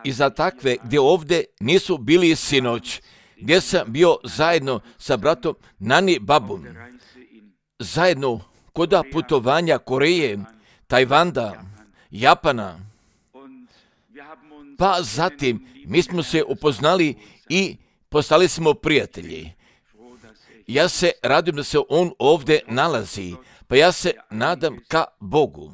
I za takve gdje ovdje nisu bili sinoć, gdje sam bio zajedno sa bratom Nani Babom, zajedno kod putovanja Koreje, Tajvanda, Japana, pa zatim mi smo se upoznali i postali smo prijatelji. Ja se radim da se on ovdje nalazi, pa ja se nadam ka Bogu.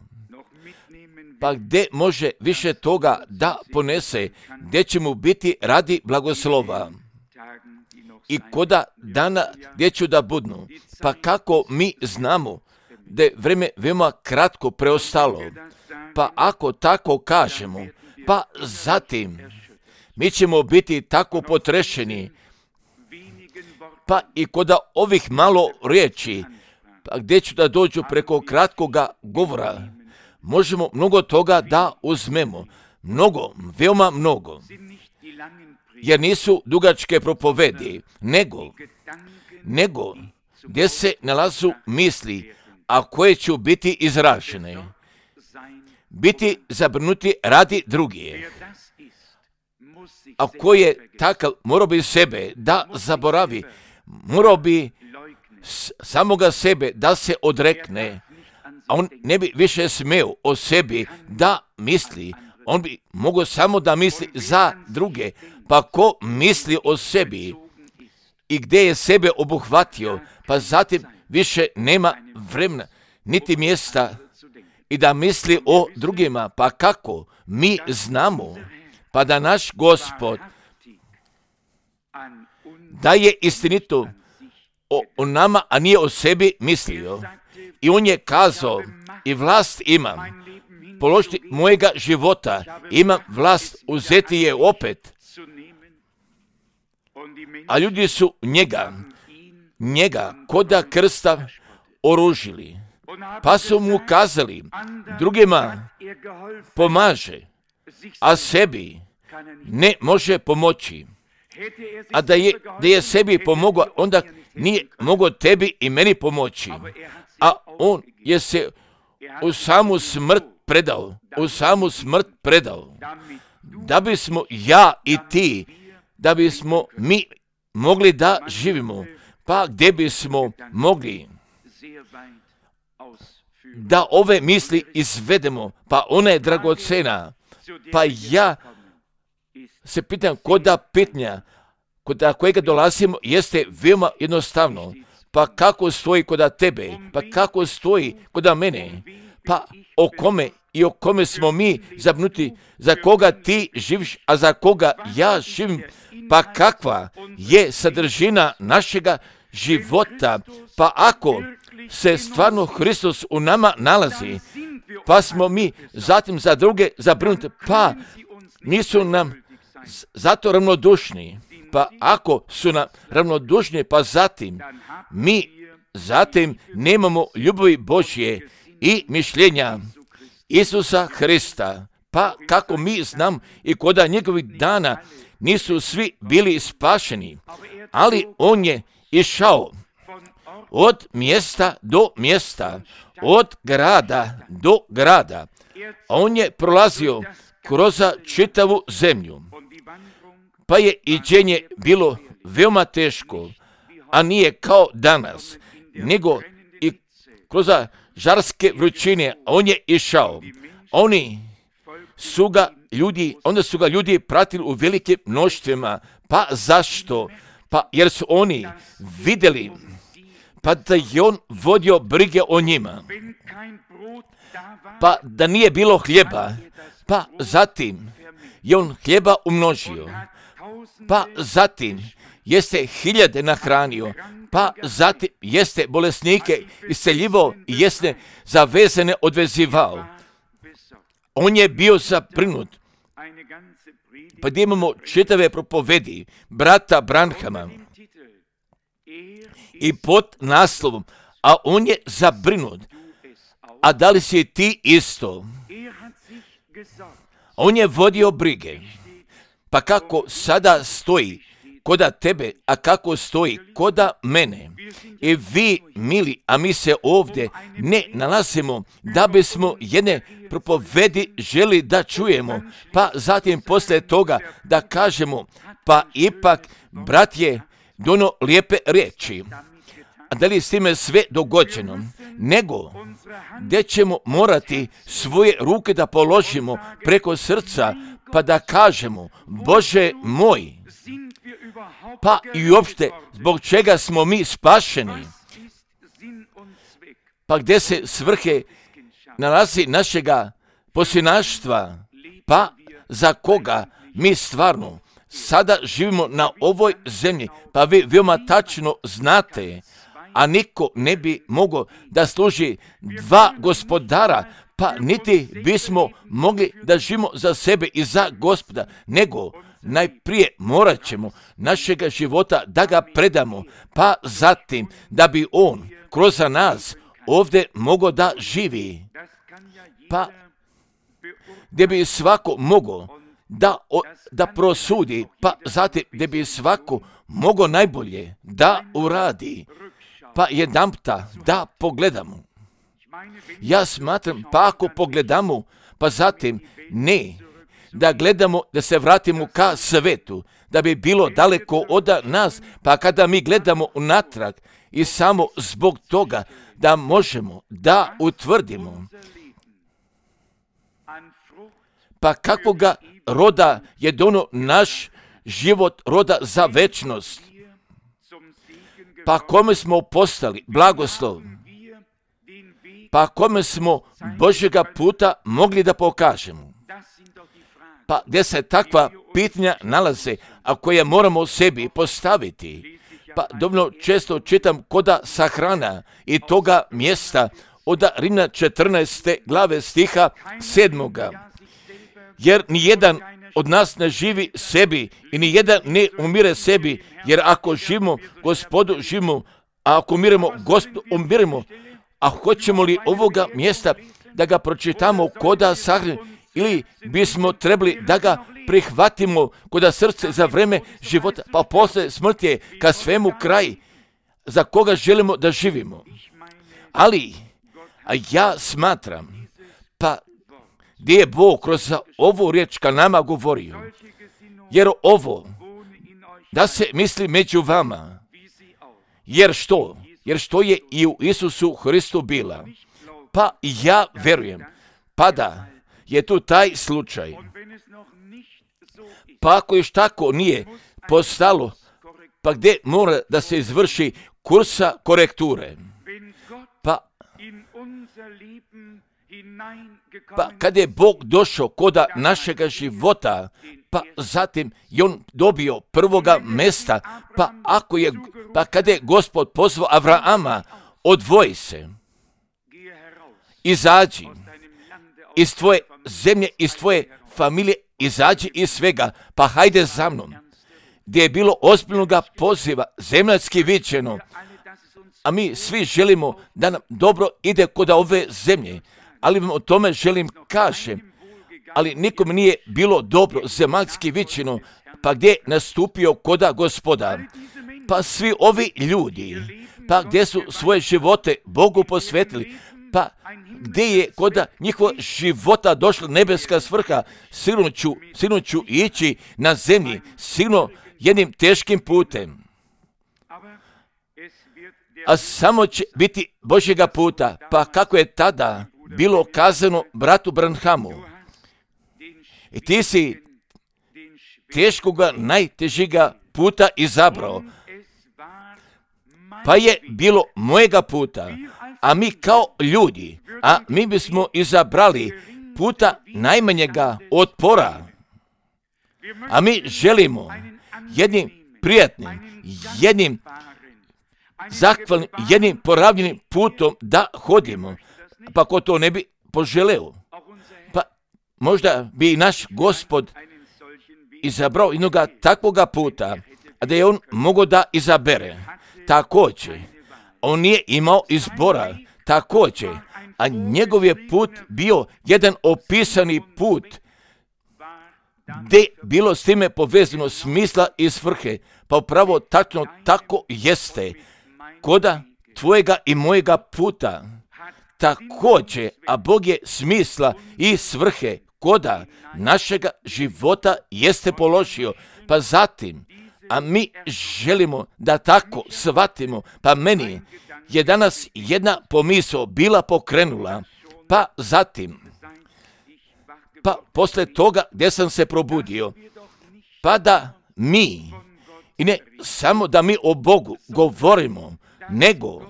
Pa gdje može više toga da ponese, gdje će mu biti radi blagoslova. I koda dana gdje ću da budnu, pa kako mi znamo da je vrijeme veoma kratko preostalo, pa ako tako kažemo, pa zatim mi ćemo biti tako potrešeni, pa i koda ovih malo riječi, pa gdje ću da dođu preko kratkoga govora, možemo mnogo toga da uzmemo, mnogo, veoma mnogo, jer nisu dugačke propovedi, nego gdje se nalazu misli, a koje će biti izražene, biti zabrinuti radi drugih. A ko je takav, morao bi sebe da zaboravi, morao bi samoga sebe da se odrekne, a on ne bi više smeo o sebi da misli, on bi mogao samo da misli za druge, pa ko misli o sebi i gdje je sebe obuhvatio, pa zatim više nema vremena, niti mjesta i da misli o drugima, pa kako mi znamo, pa da naš Gospod da je istinito o nama, a nije o sebi mislio. I on je kazao, i vlast imam, položiti mojega života, imam vlast uzeti je opet. A ljudi su njega koda krsta oružili, pa su mu kazali, drugima pomaže, a sebi ne može pomoći. A da je sebi pomogao, onda nije mogao tebi i meni pomoći. A on je se u samu smrt predao, da bismo ja i ti, da bismo mi mogli da živimo, pa gdje bismo mogli da ove misli izvedemo, pa ona je dragocena. Pa ja se pitam, koda pitanja, koda kojega dolazimo, jeste veoma jednostavno. Pa kako stoji koda tebe, pa kako stoji koda mene, pa o kome smo mi zabrinuti, za koga ti živiš, a za koga ja živim, pa kakva je sadržina našega života, pa ako se stvarno Hristos u nama nalazi, pa smo mi zatim za druge zabrinuti, pa nisu nam zato ravnodušni, pa ako su nam ravnodušni, pa zatim mi nemamo ljubavi Božje i mišljenja Isusa Hrista, pa kako mi znam i koda njegovih dana nisu svi bili spašeni, ali on je išao od mjesta do mjesta, od grada do grada. On je prolazio kroz čitavu zemlju, pa je iđenje bilo veoma teško, a nije kao danas, nego i kroz žarske vrućine. On je išao. Onda su ga ljudi pratili u velikim mnoštvima. Pa zašto? Pa jer su oni vidjeli, pa da je on vodio brige o njima. Pa da nije bilo hljeba, pa zatim je on hljeba umnožio. Pa zatim jeste hiljade nahranio, pa zatim jeste bolesnike isceljivao i jeste zavezane odvezivao. On je bio zabrinut. Pa gdje imamo čitave propovedi brata Branhama i pod naslovom, a on je zabrinut. A da li si ti isto? On je vodio brige. Pa kako sada stoji, koda tebe, a kako stoji koda mene. I vi, mili, a mi se ovdje ne nalazimo da bismo jedne propovedi želi da čujemo, pa zatim poslije toga da kažemo, pa ipak, brat je dono lijepe riječi. A da li je s time sve dogođeno? Nego, gdje ćemo morati svoje ruke da položimo preko srca, pa da kažemo, Bože moj, pa i uopšte zbog čega smo mi spašeni, pa gdje se svrhe nalazi našega posljednaštva, pa za koga mi stvarno sada živimo na ovoj zemlji, pa vi veoma tačno znate, a niko ne bi mogao da služi dva gospodara, pa niti bismo mogli da živimo za sebe i za Gospoda, nego najprije morat ćemo našega života da ga predamo, pa zatim da bi on kroz nas ovdje mogao da živi, pa gdje bi svako mogao da prosudi, pa zatim gdje bi svako mogao najbolje da uradi, pa jedanputa da pogledamo. Ja smatram, pa ako pogledamo, pa zatim ne, da gledamo, da se vratimo ka svetu, da bi bilo daleko od nas, pa kada mi gledamo unatrag i samo zbog toga da možemo da utvrdimo, pa kakvoga roda je dono naš život, roda za večnost, pa kome smo postali blagoslov, pa kome smo Božjega puta mogli da pokažemo. Pa gdje se takva pitanja nalaze, a koje moramo sebi postaviti. Pa dovoljno često čitam koda sahrana i toga mjesta od Rimljana 14. glave stiha 7. Jer nijedan od nas ne živi sebi i nijedan ne umire sebi, jer ako živimo Gospodu živimo, a ako umiremo Gospodu umiremo. A hoćemo li ovoga mjesta da ga pročitamo koda sahrane, ili bismo trebali da ga prihvatimo koda srce za vreme života, pa posle smrti je ka svemu kraj, za koga želimo da živimo. Ali, a ja smatram, pa gdje je Bog kroz ovu riječ ka nama govorio, jer ovo, da se misli među vama, jer što je i u Isusu Hristu bila. Pa ja verujem, pa da je tu taj slučaj. Pa ako još tako nije postalo, pa gdje mora da se izvrši kursa korekture. Pa kad je Bog došao koda našega života, pa zatim je on dobio prvoga mesta, pa kad je Gospod pozvao Avrama, odvoji se, izađi iz tvoje zemlje, iz tvoje familije, izađi iz svega, pa hajde za mnom. Gdje je bilo ozbiljnoga poziva, zemaljski viđeno, a mi svi želimo da nam dobro ide kod ove zemlje, ali vam o tome želim kažem, ali nikom nije bilo dobro zemaljski viđeno, pa gdje je nastupio koda Gospoda. Pa svi ovi ljudi, pa gdje su svoje živote Bogu posvetili, pa gdje je koda njihova života došla nebeska svrha, sigurno ću ići na zemlji, sigurno jednim teškim putem. A samo će biti Božjega puta, pa kako je tada bilo kazano bratu Branhamu. I ti si teškoga, najtežiga puta izabrao, pa je bilo mojega puta, a mi kao ljudi, a mi bismo izabrali puta najmanjega otpora, a mi želimo jednim prijatnim, jednim zahvalnim, jednim poravljenim putom da hodimo, pa ko to ne bi poželeo, pa možda bi i naš Gospod izabrao jednoga takvoga puta, a da je on mogao da izabere. Također, on nije imao izbora, također, a njegov je put bio jedan opisani put, gdje bilo s time povezano smisla i svrhe, pa upravo tačno tako jeste koda tvojega i mojega puta. Također, a Bog je smisla i svrhe koda našega života jeste položio, pa zatim, a mi želimo da tako shvatimo, pa meni je danas jedna pomisao bila pokrenula, pa zatim, pa posle toga gdje sam se probudio, pa da mi, i ne samo da mi o Bogu govorimo, nego,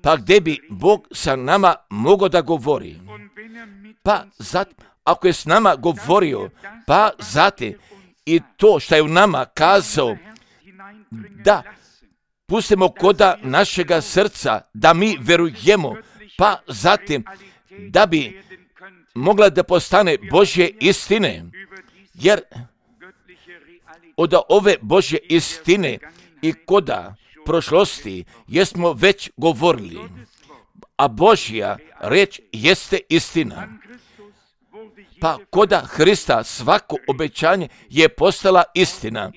pa gdje bi Bog sa nama mogao da govori, pa zatim, ako je s nama govorio, pa zatim, i to što je u nama kazao, da pustimo koda našega srca, da mi verujemo, pa zatim, da bi mogla da postane Božje istine, jer od ove Božje istine i koda prošlosti jesmo već govorili, a Božja reč jeste istina. Pa koda Hrista svako obećanje je postala istina.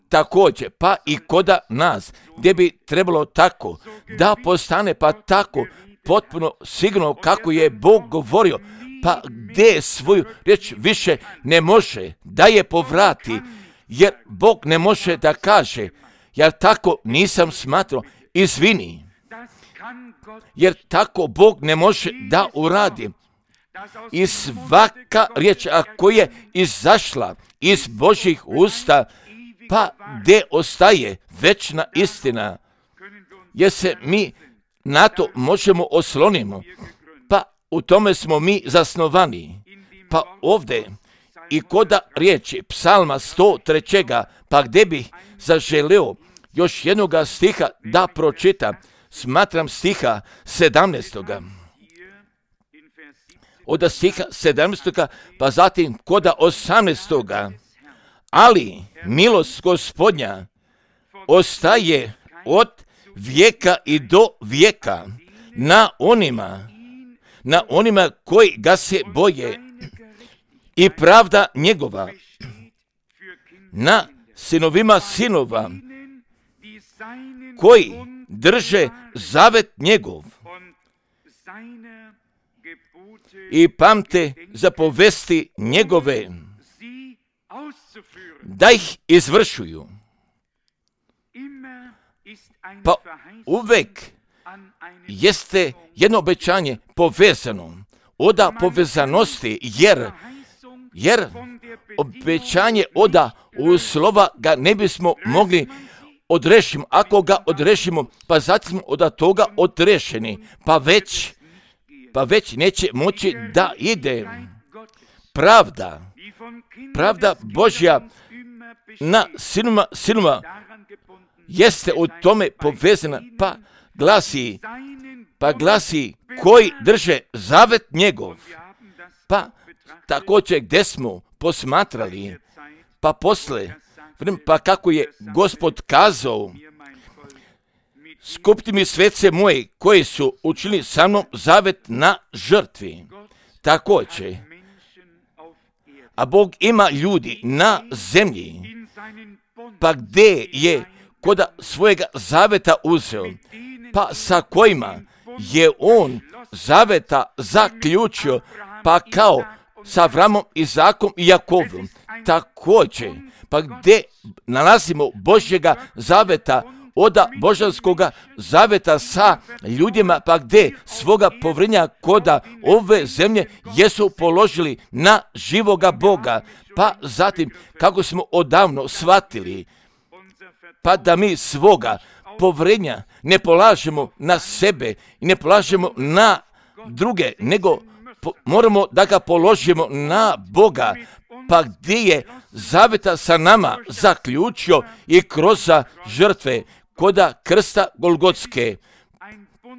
Također, pa i koda nas, gdje bi trebalo tako da postane, pa tako potpuno sigurno kako je Bog govorio, pa gdje svoju riječ više ne može da je povrati, jer Bog ne može da kaže, ja tako nisam smatrao, izvini, jer tako Bog ne može da uradi. I svaka riječ koja je izašla iz Božjih usta, pa gdje ostaje večna istina, jer se mi na to možemo oslonimo, pa u tome smo mi zasnovani. Pa ovdje i koda riječi psalma 103. pa gdje bih zaželeo još jednoga stiha da pročitam, smatram stiha 17. Od stiha 17. pa zatim koda 18. Ali milost Gospodnja ostaje od vijeka i do vijeka na onima koji ga se boje, i pravda njegova na sinovima sinova koji drže zavet njegov i pamte zapovesti njegove, da ih izvršuju. Pa uvek jeste jedno obećanje povezano od povezanosti, jer obećanje oda u slova ga ne bismo mogli odrešiti. Ako ga odrešimo, pa zatim smo od toga odrešeni, pa već neće moći da ide. Pravda Božja na sinuma jeste u tome povezana, pa glasi koji drže zavet njegov. Pa također gdje smo posmatrali, pa posle, pa kako je Gospod kazao, skupti mi svece moje koji su učinili sa mnom zavet na žrtvi. Također, a Bog ima ljudi na zemlji, pa gdje je koda svojega zaveta uzeo, pa sa kojima je on zaveta zaključio, pa kao sa Avramom, Izakom i Jakovom. Također, pa gdje nalazimo Božjega zaveta, oda božanskoga zaveta sa ljudima, pa gdje svoga povrenja koda ove zemlje jesu položili na živoga Boga, pa zatim kako smo odavno shvatili, pa da mi svoga povrenja ne polažemo na sebe i ne polažemo na druge, nego moramo da ga položimo na Boga, pa gdje je zaveta sa nama zaključio i kroz žrtve koda krsta Golgotske,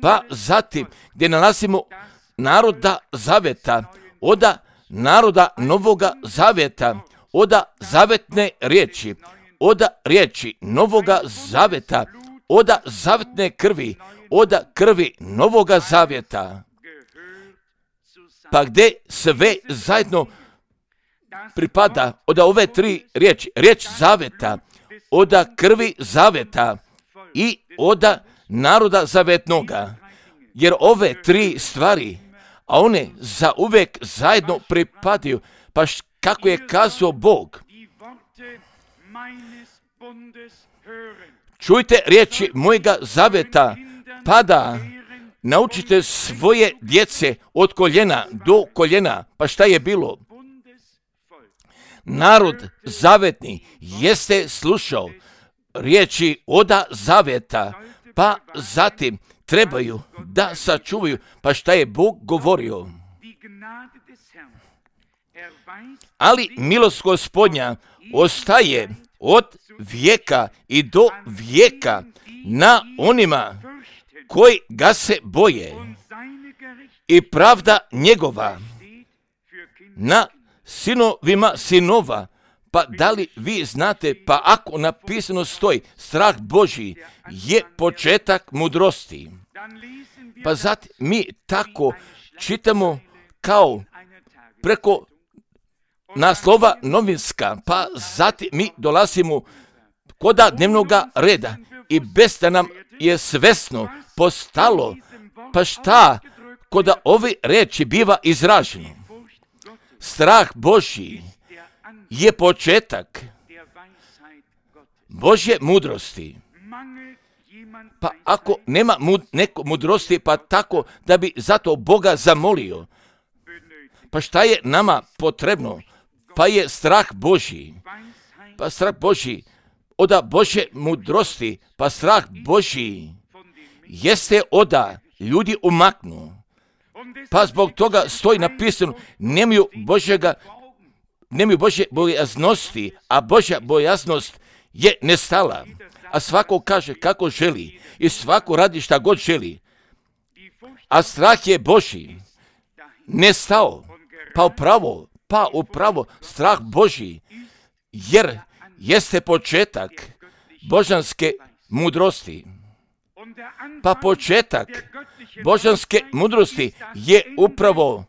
pa zatim gdje nalazimo naroda zaveta, oda naroda novoga zaveta, oda zavetne riječi, oda riječi novoga zaveta, oda zavetne krvi, oda krvi novoga zaveta, pa gdje sve zajedno pripada od ove 3 riječi, riječ zaveta, od krvi zaveta i od naroda zavetnoga. Jer ove 3 stvari, a one za uvijek zajedno pripadaju, pa kako je kazao Bog. Čujte riječi mojega zaveta, pa da naučite svoje djece od koljena do koljena. Pa šta je bilo? Narod zavetni jeste slušao riječi oda zaveta, pa zatim trebaju da sačuvaju. Pa šta je Bog govorio? Ali milost Gospodnja ostaje od vijeka i do vijeka na onima koji ga se boje i pravda njegova na sinovima sinova. Pa da li vi znate, pa ako napisano stoji, strah Božji je početak mudrosti. Pa zatim mi tako čitamo kao preko naslova novinska, pa zatim mi dolazimo koda dnevnoga reda i bez da nam je svesno postalo, pa šta koda ove reči biva izraženo. Strah Božji je početak Božje mudrosti. Pa ako nema neko mudrosti, pa tako da bi zato Boga zamolio, pa šta je nama potrebno? Pa je strah Božji. Pa strah Božji oda Božje mudrosti, pa strah Božji jeste oda ljudi umaknu. Pa zbog toga stoji napisano, nemaju Božje bojaznosti, a Božja bojaznost je nestala. A svako kaže kako želi i svako radi šta god želi. A strah je Božji nestao. Pa upravo strah Božji, jer jeste početak božanske mudrosti. Pa početak božanske mudrosti je upravo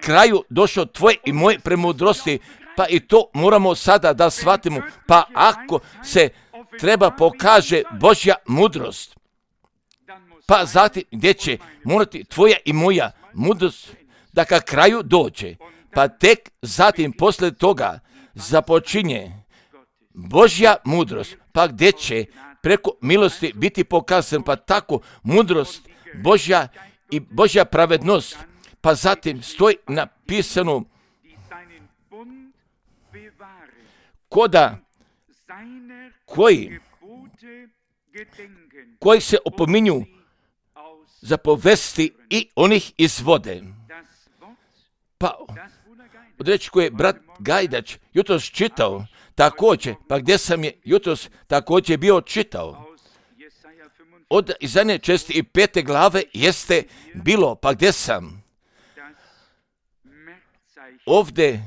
kraju došao tvoje i moje premudrosti, pa i to moramo sada da shvatimo. Pa ako se treba pokaže Božja mudrost, pa zatim gdje će morati tvoja i moja mudrost da ka kraju dođe, pa tek zatim posle toga započinje Božja mudrost, pa gdje će preko milosti biti pokazan, pa tako mudrost Božja i Božja pravednost. Pa zatim stoji napisano koda koji se opominju za povesti i onih izvode. Pa od reći koje je brat Gajdač jutros čitao, također, pa gdje sam je jutros također bio čitao. Od Izaije 65. glave jeste bilo, pa gdje sam ovdje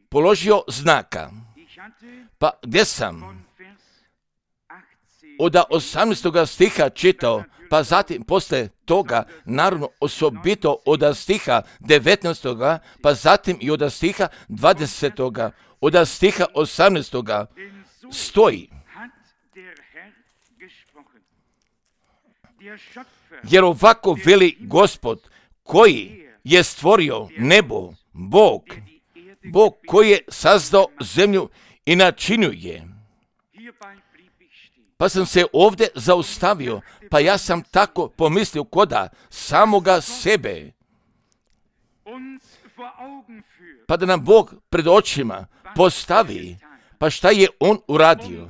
položio znaka, pa gdje sam od 18. stiha čitao, pa zatim posle toga, naravno osobito od stiha 19. pa zatim i od stiha 20. od stiha 18. stoji. Jer ovako veli Gospod, koji je stvorio nebo, Bog koji je sazdao zemlju i načinio je. Pa sam se ovdje zaustavio, pa ja sam tako pomislio koda samoga sebe. Pa da nam Bog pred očima postavi, pa šta je On uradio?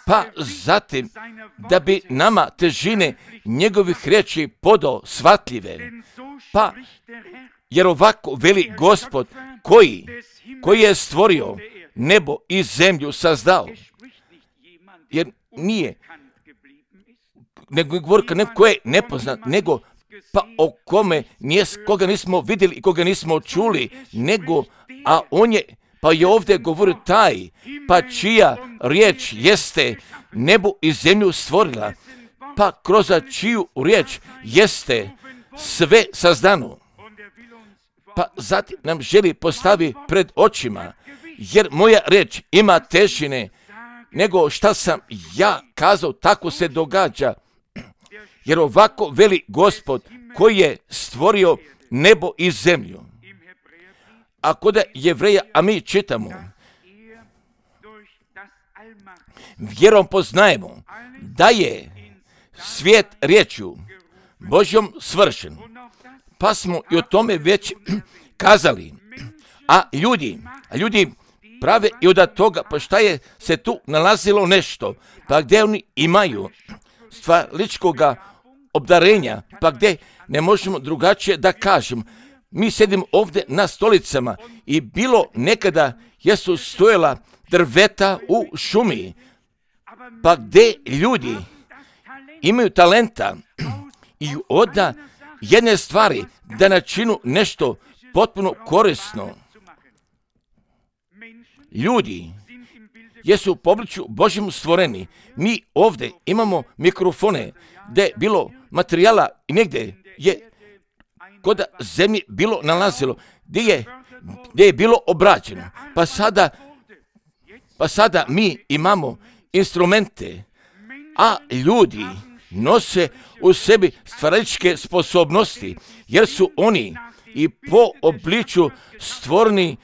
Pa zatim da bi nama težine njegovih riječi podao shvatljive. Pa jer ovako veli Gospod koji je stvorio nebo i zemlju sazdao. Jer nije, nego govori kad neko je nepoznat, nego pa o kome koga nismo vidjeli i koga nismo čuli, nego, a on je, pa je ovdje govorio taj, pa čija riječ jeste nebo i zemlju stvorila, pa kroz čiju riječ jeste sve sazdano. pa zatim nam želi postavi pred očima, jer moja reč ima težine nego šta sam ja kazao, tako se događa. Jer ovako veli Gospod koji je stvorio nebo i zemlju. A kod Jevreja, a mi čitamo, vjerom poznajemo da je svijet riječju Božjom svršen. Pa smo i o tome već kazali. A ljudi prave i od toga, pa šta je se tu nalazilo nešto, pa gdje oni imaju stvarličkoga obdarenja, pa gdje ne možemo drugačije da kažemo. Mi sedimo ovdje na stolicama i bilo nekada jesu stojala drveta u šumi, pa gdje ljudi imaju talenta i od jedne stvari da načinu nešto potpuno korisno. Ljudi jesu po obličju Božjem stvoreni. Mi ovdje imamo mikrofone gdje je bilo materijala i negdje je kod zemlje bilo nalazilo, gdje je bilo obrađeno. Pa sada mi imamo instrumente, a ljudi nose u sebi stvaračke sposobnosti, jer su oni i po obličju stvoreni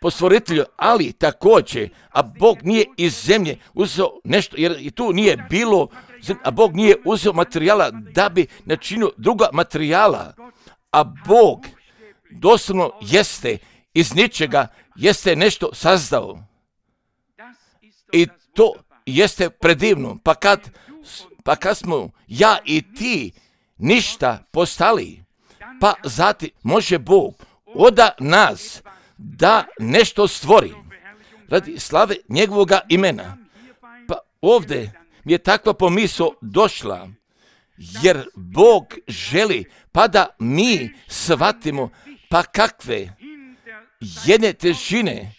po stvoritelju, ali također, a Bog nije iz zemlje uzeo nešto, jer i tu nije bilo, a Bog nije uzeo materijala da bi načinio druga materijala, a Bog doslovno jeste iz ničega, jeste nešto sazdao. I to jeste predivno, pa kad smo ja i ti ništa postali, pa zatim može Bog od nas da nešto stvori radi slave njegovoga imena. Pa ovdje mi je takva pomisao došla, jer Bog želi pa da mi shvatimo pa kakve jedne težine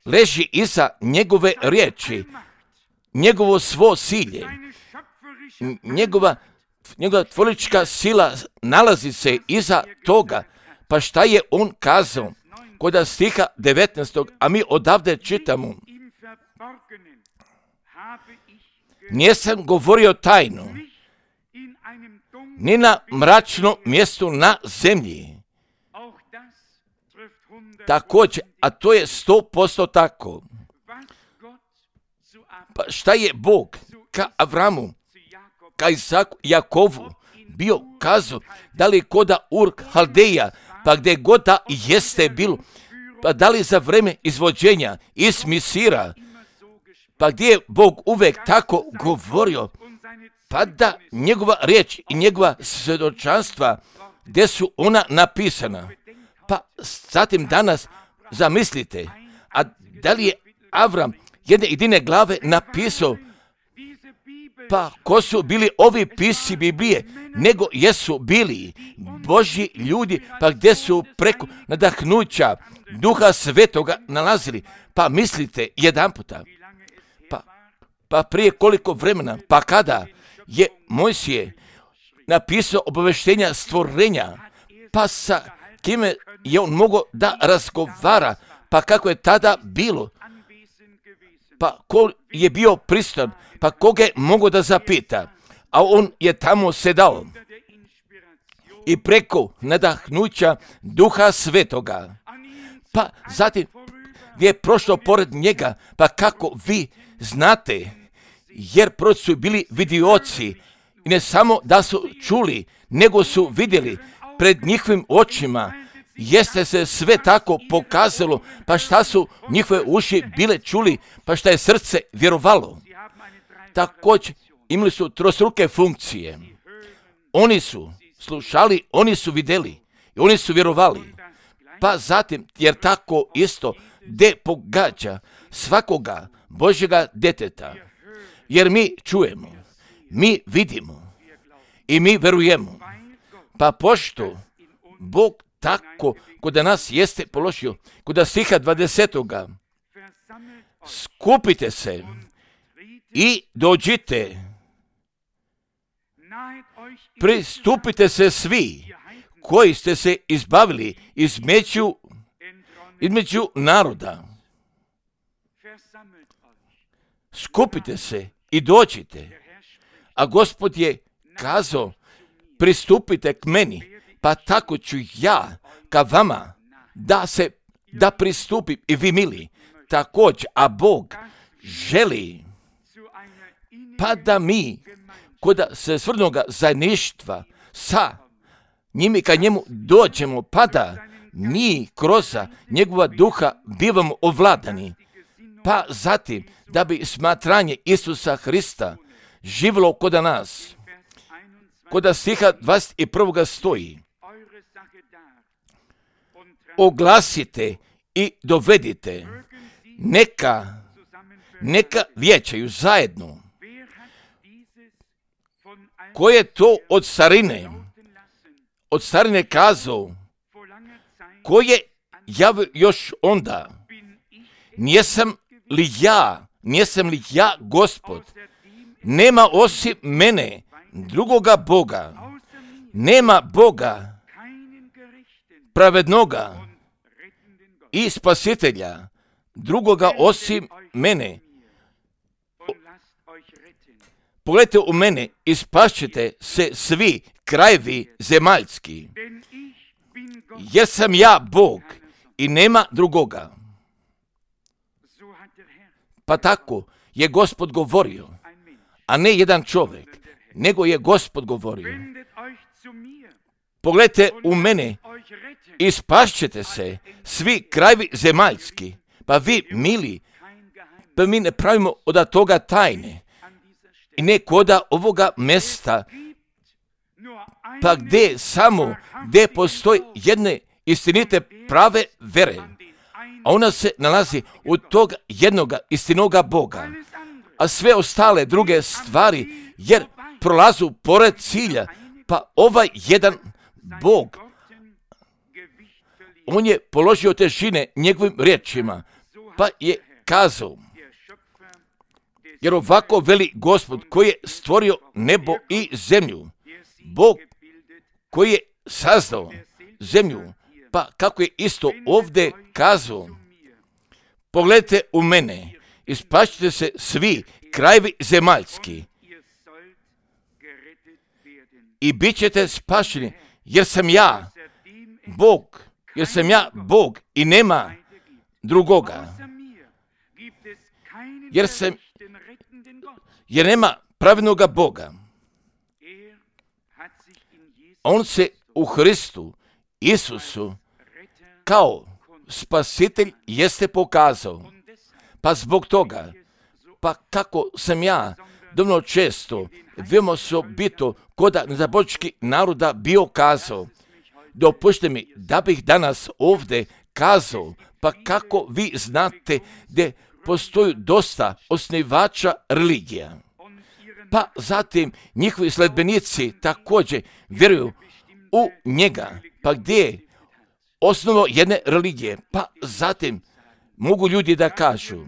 leži iza njegove riječi, njegovo svo silje, njegova tvorička sila nalazi se iza toga. Pa šta je on kazao kod stiha 19. a mi odavde čitamo: nisam govorio tajno, ni na mračnom mjestu na zemlji. Također, a to je 100% tako. Pa šta je Bog ka Avramu, ka Isaku, Jakovu bio kazao, da li koda Ur Haldeja, pa gdje god da jeste bilo, pa da li za vreme izvođenja iz Misira, pa gdje je Bog uvek tako govorio, pa da njegova riječ i njegova svjedočanstva, gdje su ona napisana. Pa zatim danas zamislite, a da li je Avram jedne jedine glave napisao, pa ko su bili ovi pisci Biblije, nego jesu bili Božji ljudi, pa gdje su preko nadahnuća Duha Svetoga nalazili. Pa mislite jedan puta, pa prije koliko vremena, pa kada je Mojsije napisao obaveštenja stvorenja, pa sa kime je on mogao da razgovara, pa kako je tada bilo, pa ko je bio pristojan, pa koga je mogao da zapita, a on je tamo sedao i preko nadahnuća Duha Svetoga, pa zatim gdje je prošlo pored njega, pa kako vi znate, jer prvo su bili vidioci i ne samo da su čuli, nego su vidjeli pred njihovim očima, jeste se sve tako pokazalo, pa šta su njihove uši bile čuli, pa šta je srce vjerovalo. Također imali su trostruke funkcije. Oni su slušali, oni su vidjeli i oni su vjerovali. Pa zatim, jer tako isto de pogađa svakoga Božjega djeteta. Jer mi čujemo, mi vidimo i mi verujemo. Pa pošto Bog tako kod nas jeste položio, kod stiha 20. Skupite se i dođite, pristupite se svi koji ste se izbavili između naroda. Skupite se i dođite. A Gospod je kazao, pristupite k meni, pa tako ću ja ka vama da pristupim i vi mili. Također, a Bog želi pa da mi kod svrnoga zajedništva sa njimi ka njemu dođemo, pa da mi kroz njegova duha bivamo ovladani, pa zatim da bi smatranje Isusa Hrista živjelo kod nas. Kod stiha 21. stoji: oglasite i dovedite, neka vijećaju zajedno. Ko je to od starine kazao, ko je javio još onda, nijesam li ja Gospod, nema osim mene drugoga Boga, nema Boga pravednoga i spasitelja drugoga osim mene. Pogledajte u mene i spašćete se svi krajevi zemaljski, jer sam ja Bog i nema drugoga. Pa tako je Gospod govorio, a ne jedan čovjek, nego je Gospod govorio. Pogledajte u mene i spašćete se svi krajevi zemaljski. Pa vi, mili, pa mi ne pravimo od toga tajne. I ne koda ovoga mjesta, pa gdje postoji jedne istinite prave vere, a ona se nalazi u tog jednoga istinoga Boga, a sve ostale druge stvari, jer prolazu pored cilja, pa ovaj jedan Bog, on je položio težine njegovim riječima, pa je kazao, jer ovako veli Gospod koji je stvorio nebo i zemlju, Bog koji je sazdao zemlju, pa kako je isto ovdje kazao, pogledajte u mene i spašćete se svi krajevi zemaljski i bit ćete spašeni, jer sam ja Bog i nema drugoga, jer nema pravednoga Boga. On se u Hristu Isusu kao spasitelj jeste pokazao. Pa zbog toga, pa kako sam ja dovoljno često, veoma osobito kod nezabočkih naroda bio kazao, dopušte mi da bih danas ovdje kazao, pa kako vi znate da postoji dosta osnivača religija. Pa zatim njihovi sledbenici također vjeruju u njega, pa gdje je osnovo jedne religije, pa zatim mogu ljudi da kažu,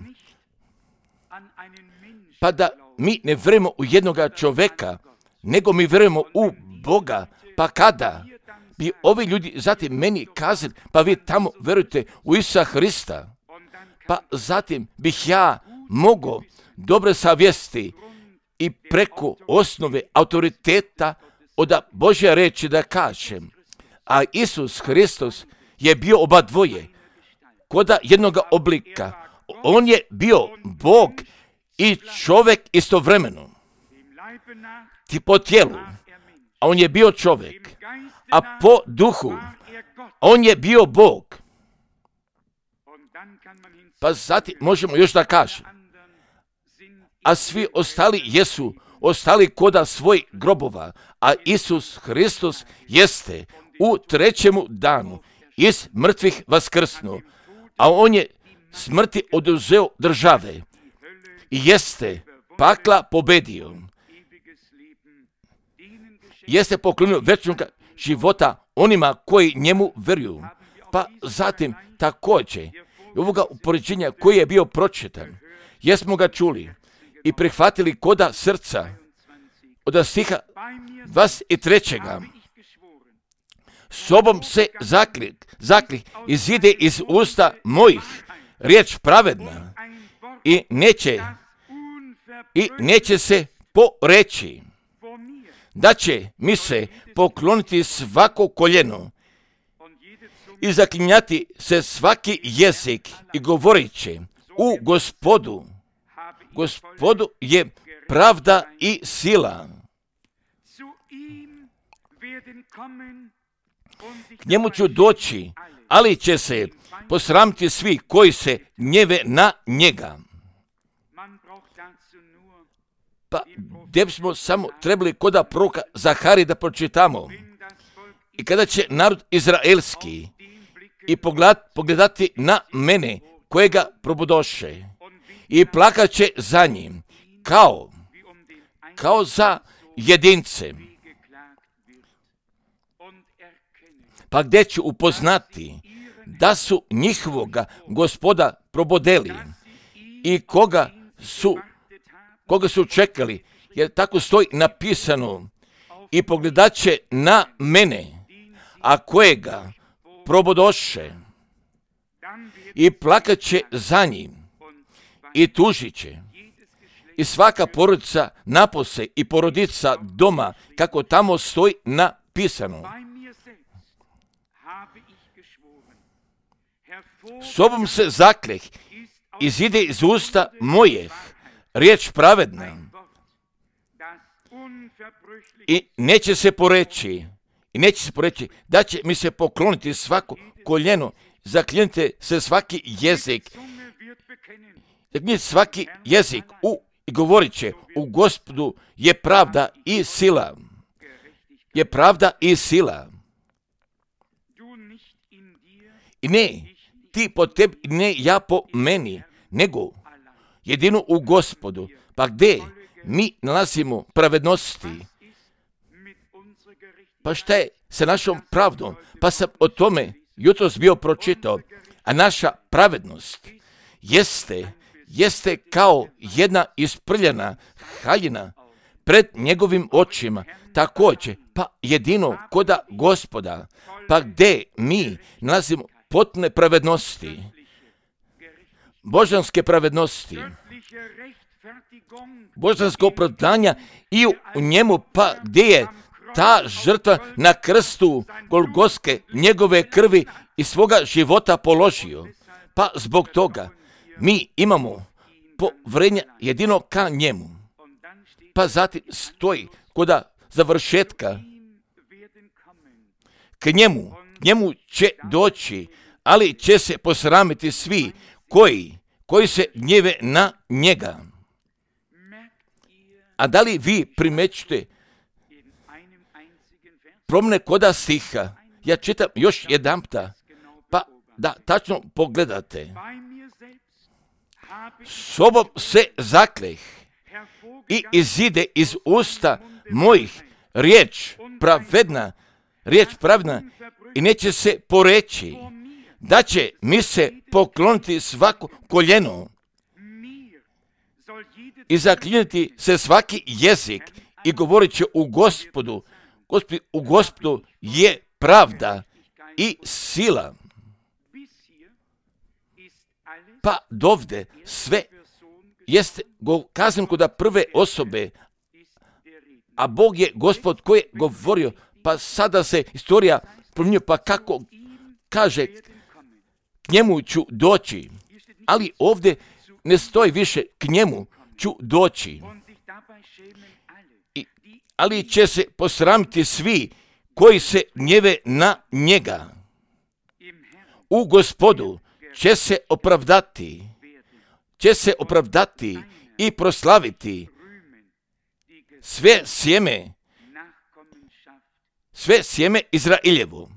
pa da mi ne vjerujemo u jednoga čovjeka, nego mi vjerujemo u Boga, pa kada bi ovi ljudi zatim meni kazali, pa vi tamo vjerujete u Isusa Hrista, pa zatim bih ja mogao dobre savjesti i preko osnove autoriteta od Božje reči da kažem, a Isus Hristos je bio oba dvoje, koda jednoga oblika. On je bio Bog i čovjek istovremeno. Ti po tijelu, a on je bio čovjek, a po duhu, on je bio Bog. Pa zatim možemo još da kažem, a svi ostali jesu ostali koda svoj grobova, a Isus Hristos jeste u trećemu danu iz mrtvih vaskrsnuo, a on je smrti oduzeo države i jeste pakla pobedio. Jeste poklonio vječnog života onima koji njemu vjeruju. Pa zatim također ovoga upoređenja koji je bio pročitan, jesmo ga čuli i prihvatili koda srca od stiha 23. sobom se zaklih izide iz usta mojih, riječ pravedna, i neće se poreći, da će mi se pokloniti svako koljeno i zaklinjati se svaki jezik i govorit će u Gospodu je pravda i sila. K njemu ću doći, ali će se posramiti svi koji se gnjeve na njega. Pa gdje bismo samo trebali koda proroka Zaharije da pročitamo. I kada će narod izraelski i pogledati na mene kojega probudoše i plakat će za njim kao za jedince. Pa gdje ću upoznati da su njihovoga Gospoda probodeli i koga su čekali, jer tako stoji napisano, i pogledat će na mene, a kojega probodoše i plakat će za njim i tužit će. I svaka porodica napose i porodica doma, kako tamo stoji napisano. Sobom se zakleh izide iz usta mojih, riječ pravedna, i neće se poreći, da će mi se pokloniti svako koljeno, zaklinjite se svaki jezik, svaki jezik i govorit će u Gospodu je pravda i sila. Je pravda i sila. I ne ti po tebi, ne ja po meni, nego jedino u Gospodu. Pa gdje mi nalazimo pravednosti? Pa šta je sa našom pravdom? Pa sam o tome jutros bio pročitao. A naša pravednost jeste kao jedna isprljana haljina pred njegovim očima. Također, pa jedino koda Gospoda. Pa gdje mi nalazimo potpune pravednosti, božanske pravednosti, božansko opravdanja i u njemu, pa gdje je ta žrtva na krstu Golgotske njegove krvi i svoga života položio. Pa zbog toga mi imamo povjerenje jedino ka njemu. Pa zatim stoji koda završetka, k njemu će doći, ali će se posramiti svi koji se gnjeve na njega. A da li vi primećujete promjene koda stiha? Ja čitam još jedanputa, pa da tačno pogledate. Sobom se zakleh i izide iz usta mojih, riječ pravedna, i neće se poreći, da će mi se pokloniti svako koljeno i zaklinjati se svaki jezik i govorit će u Gospodu je pravda i sila. Pa dovde sve jeste kazano kod prve osobe, a Bog je Gospod koji je govorio, pa sada se istorija promijenio, pa kako kaže, k njemu ću doći, ali ovdje ne stoji više k njemu ću doći. Ali će se posramiti svi koji se gnjeve na njega. U Gospodu će se opravdati i proslaviti sve sjeme Izraeljevo.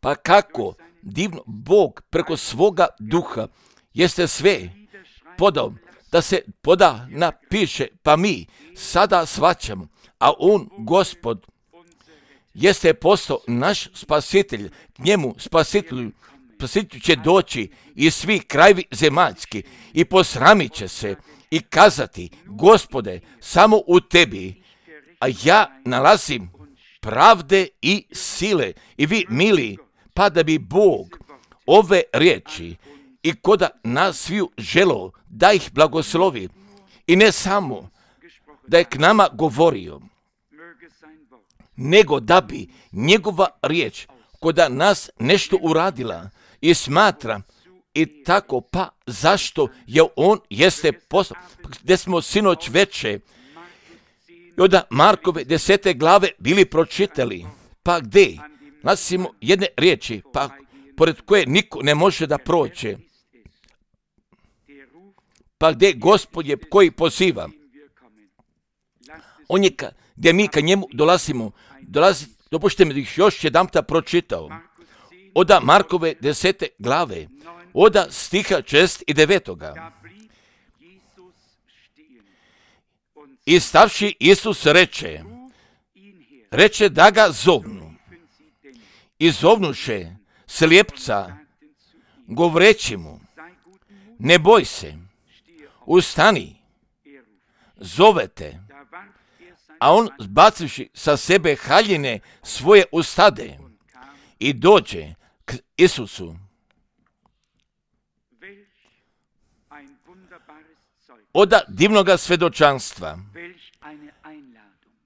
Pa kako divno Bog preko svoga duha jeste sve podao, da se napiše, pa mi sada shvaćamo, a on, Gospod, jeste postao naš spasitelj, k njemu spasitelj će doći i svi krajevi zemaljski i posramit će se i kazati, Gospode, samo u tebi, a ja nalazim pravde i sile. I vi, mili, pa da bi Bog ove riječi i koda nas sviju želo da ih blagoslovi i ne samo da je k nama govorio, nego da bi njegova riječ koda nas nešto uradila i smatra i tako, pa zašto je on jeste poslao, gdje smo sinoć veče i od Markove 10. glave bili pročitali, pa gdje nalazimo jedne riječi, pa pored koje niko ne može da prođe, pa gdje Gospod je koji poziva, on je gdje mi ka njemu dolazimo, dopušte mi da ih još jedanputa pročitao, od Markove 10. glave, od stiha 6 i 9. I stavši Isus reče da ga zovnu. I zovnuše slijepca, govoreći mu, ne boj se, ustani, zovete. A on, zbacivši sa sebe haljine, svoje ustade i dođe k Isusu. Oda divnoga svedočanstva,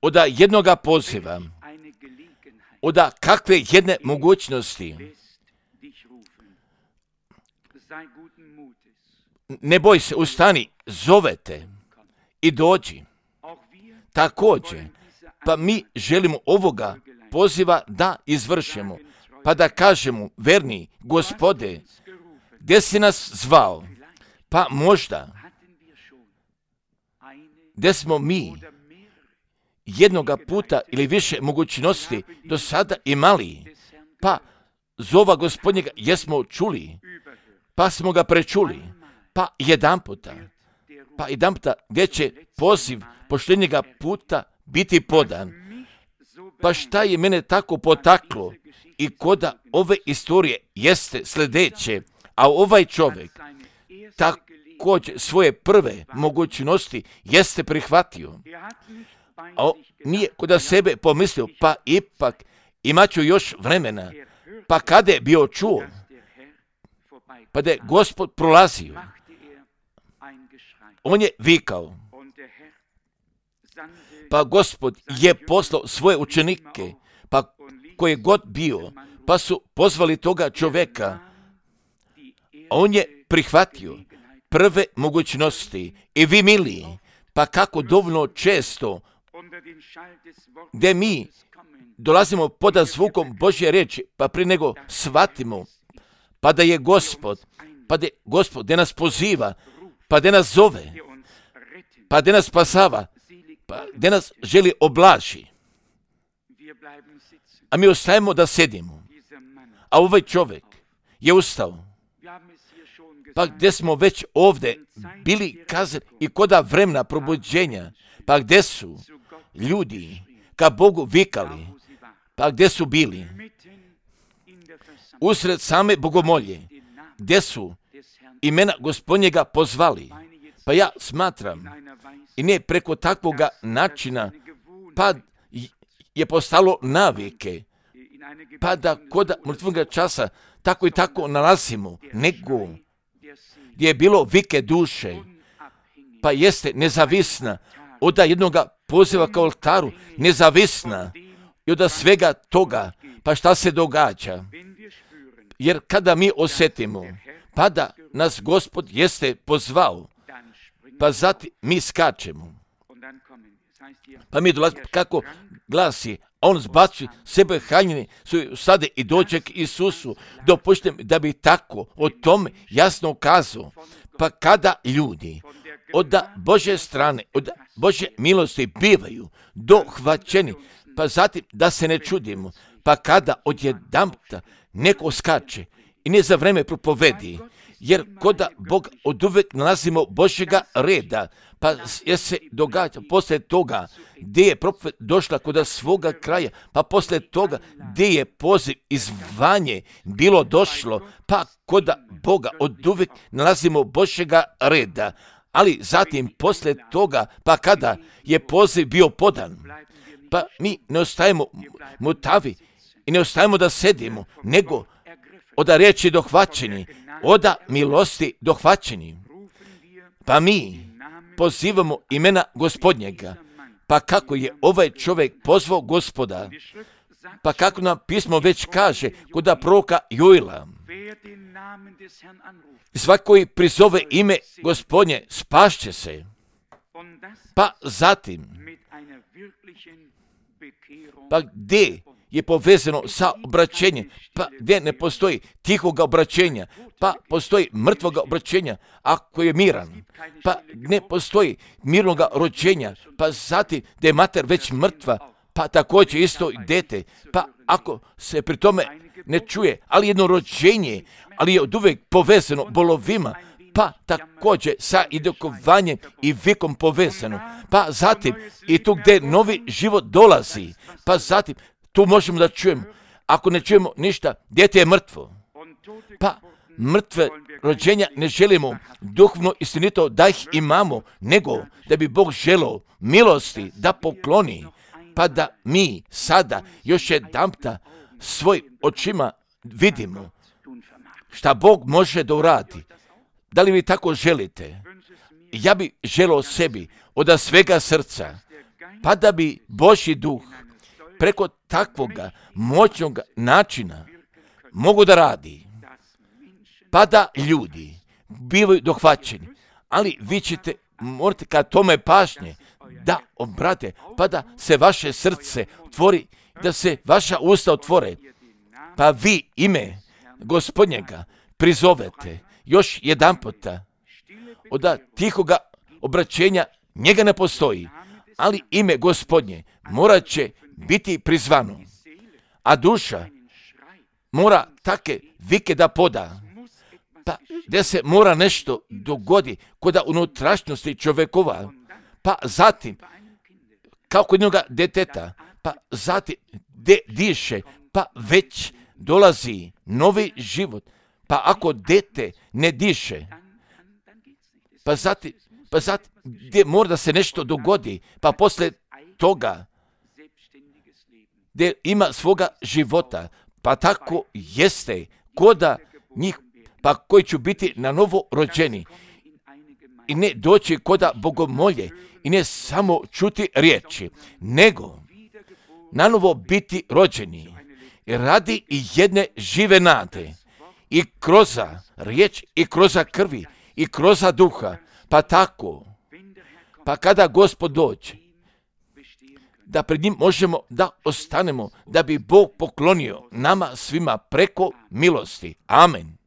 oda jednoga poziva, oda kakve jedne mogućnosti. Ne boj se, ustani, zovete i dođi. Također, pa mi želimo ovoga poziva da izvršimo, pa da kažemo, verni Gospode, gdje si nas zvao, pa možda gdje smo mi jednoga puta ili više mogućnosti do sada imali, pa zova Gospodnjega jesmo čuli, pa smo ga prečuli, pa jedan puta gdje će poziv poštenjega puta biti podan. Pa šta je mene tako potaklo i koda ove istorije jeste sljedeće, a ovaj čovjek također svoje prve mogućnosti jeste prihvatio. A nije koda sebe pomislio, pa ipak imat ću još vremena, pa kada je bio čuo, pa da je Gospod prolazio, on je vikao, pa Gospod je poslao svoje učenike, pa koji je god bio, pa su pozvali toga čovjeka, a on je prihvatio prve mogućnosti. I vi, mili, pa kako dovoljno često gdje mi dolazimo pod zvukom Božje riječi, pa prije nego shvatimo, pa da je Gospod, gdje nas poziva, pa gdje nas zove, pa gdje nas spasava, pa gdje nas želi oblaži. A mi ostajemo da sedimo. A ovaj čovjek je ustao. Pa gdje smo već ovdje bili kazali i koda vremena probuđenja, pa gdje su ljudi ka Bogu vikali, pa gdje su bili usred same bogomolje, gdje su imena Gospodnjega pozvali. Pa ja smatram, i ne preko takvoga načina, pa je postalo navike, pa da koda mrtvoga časa tako i tako nalazimo, nego gdje je bilo vike duše, pa jeste nezavisna od jednoga poziva ka oltaru, nezavisna i od svega toga, pa šta se događa. Jer kada mi osjetimo, pa da nas Gospod jeste pozvao, pa zatim mi skačemo. Pa mi dolazimo, kako glasi, on zbaci sebe haljine, sade i dođe k Isusu. Dopuštam da bi tako o tome jasno kazao. Pa kada ljudi od Božje strane, od Božje milosti bivaju dohvaćeni, pa zatim da se ne čudimo, pa kada odjedanputa neko skače i ne za vreme propovedi, jer koda Bog od uvek nalazimo Božjega reda, pa je se događa poslije toga gdje je profet došla koda svoga kraja, pa poslije toga gdje je poziv i zvanje bilo došlo, pa koda Boga od uvek nalazimo Božjega reda. Ali zatim poslije toga, pa kada je poziv bio podan, Pa mi ne ostajemo mutavi i ne ostajemo da sedimo, nego oda riječi dohvaćeni, oda milosti dohvaćeni. Pa mi pozivamo imena Gospodnjega. Pa kako je ovaj čovjek pozvao Gospoda, pa kako nam pismo već kaže kod proroka Joela, svako koji prizove ime Gospodnje spašće se. Pa zatim, pa gdje je povezano sa obraćenjem, pa gdje ne postoji tihoga obraćenja, pa postoji mrtvoga obraćenja ako je miran, pa ne postoji mirnoga rođenja, pa zatim gdje je mater već mrtva, pa također isto i dete, pa ako se pri tome ne čuje, ali jedno rođenje, ali je od uvijek povezano bolovima, pa također sa idokovanjem i vikom povezano, pa zatim i tu gdje novi život dolazi, pa zatim tu možemo da čujemo, ako ne čujemo ništa, dijete je mrtvo, pa mrtve rođenja ne želimo duhovno istinito da ih imamo, nego da bi Bog želeo milosti da pokloni, pa da mi sada još jedanputa svoj očima vidimo šta Bog može da uradi. Da li vi tako želite? Ja bi želeo sebi od svega srca, pa da bi Božji duh preko takvoga moćnog načina mogu da radi, pa da ljudi bivaju dohvaćeni. Ali vi ćete morate kad tome pažnje da obrate, pa da se vaše srce otvori, da se vaša usta otvore, pa vi ime Gospodnjega prizovete još jedan puta. Od tihoga obraćenja njega ne postoji, ali ime Gospodnje morat će biti prizvano, a duša mora take vike da poda, pa gdje se mora nešto dogodi kod unutrašnjosti čovjekova, pa zatim kao kod jednoga deteta, pa zatim gdje diše, pa već dolazi novi život, pa ako dete ne diše, pa zatim gdje mora da se nešto dogodi, pa poslije toga gdje ima svoga života, pa tako jeste koda njih, pa koji će biti na novo rođeni i ne doći koda bogomolje i ne samo čuti riječi, nego na novo biti rođeni radi i jedne žive nade i kroz riječ i kroz krvi i kroz duha, pa tako, pa kada Gospod dođe, da pred njim možemo da ostanemo, da bi Bog poklonio nama svima preko milosti. Amen.